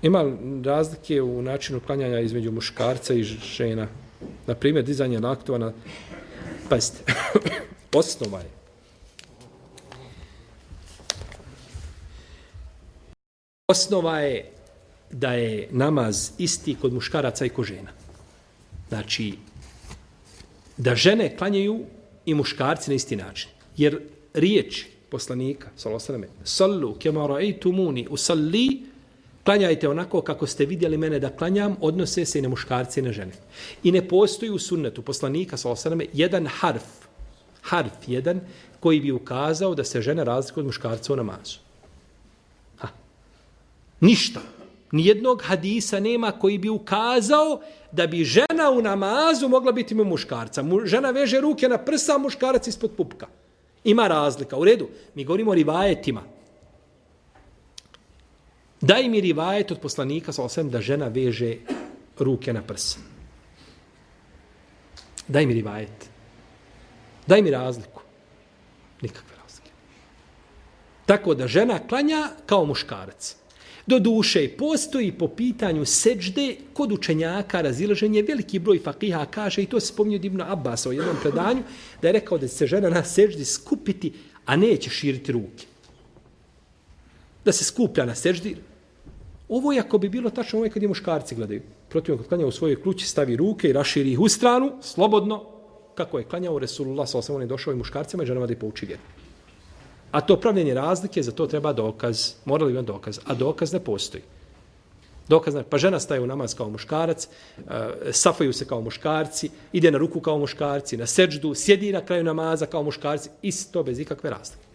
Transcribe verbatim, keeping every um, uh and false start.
Ima razlike u načinu klanjanja između muškarca i žena. Na primjer, dizanje laktova na... Pazite, osnova je. Osnova je da je namaz isti kod muškaraca i kod žena. Znači, da žene klanjaju i muškarci na isti način. Jer riječ poslanika, sallallahu alejhi ve sellem, sallu kema ra'aytumuni usalli, klanjajte onako kako ste vidjeli mene da klanjam, odnose se i na muškarce i na žene. I ne postoji u sunnetu poslanika, sallallahu alejhi ve sellem, jedan harf, harf jedan, koji bi ukazao da se žene razlikuju od muškarca u namazu. Ha. Ništa. Nijednog hadisa nema koji bi ukazao da bi žena u namazu mogla biti mu muškarca. Žena veže ruke na prsa, muškarac ispod pupka. Ima razlika. U redu, mi govorimo o rivajetima. Daj mi rivajet od poslanika, sallallahu alejhi ve sellem, da žena veže ruke na prsa. Daj mi rivajet. Daj mi razliku. Nikakve razlike. Tako da žena klanja kao muškarac. Do duše postoji po pitanju seđde kod učenjaka razilaženje. Veliki broj fakiha kaže, i to se spominje od Ibn Abbasa u jednom predanju, da je rekao da se žena na seđdi skupiti, a neće širiti ruke. Da se skuplja na seđdi. Ovo je ako bi bilo tačno, ovo je kad je muškarci gledaju. Protiv kad klanja u svojoj klući, stavi ruke i raširi ih u stranu, slobodno, kako je klanjao Resulullah, sallallahu alejhi ve sellem, on je došao i muškarcima i ženama da ih pouči vjeru. A to pravljenje razlike, za to treba dokaz. Morali bi imati dokaz. A dokaz ne postoji. Dokaz ne. Pa žena staje u namaz kao muškarac, uh, safaju se kao muškarci, ide na ruku kao muškarci, na seđdu, sjedi na kraju namaza kao muškarci, isto bez ikakve razlike.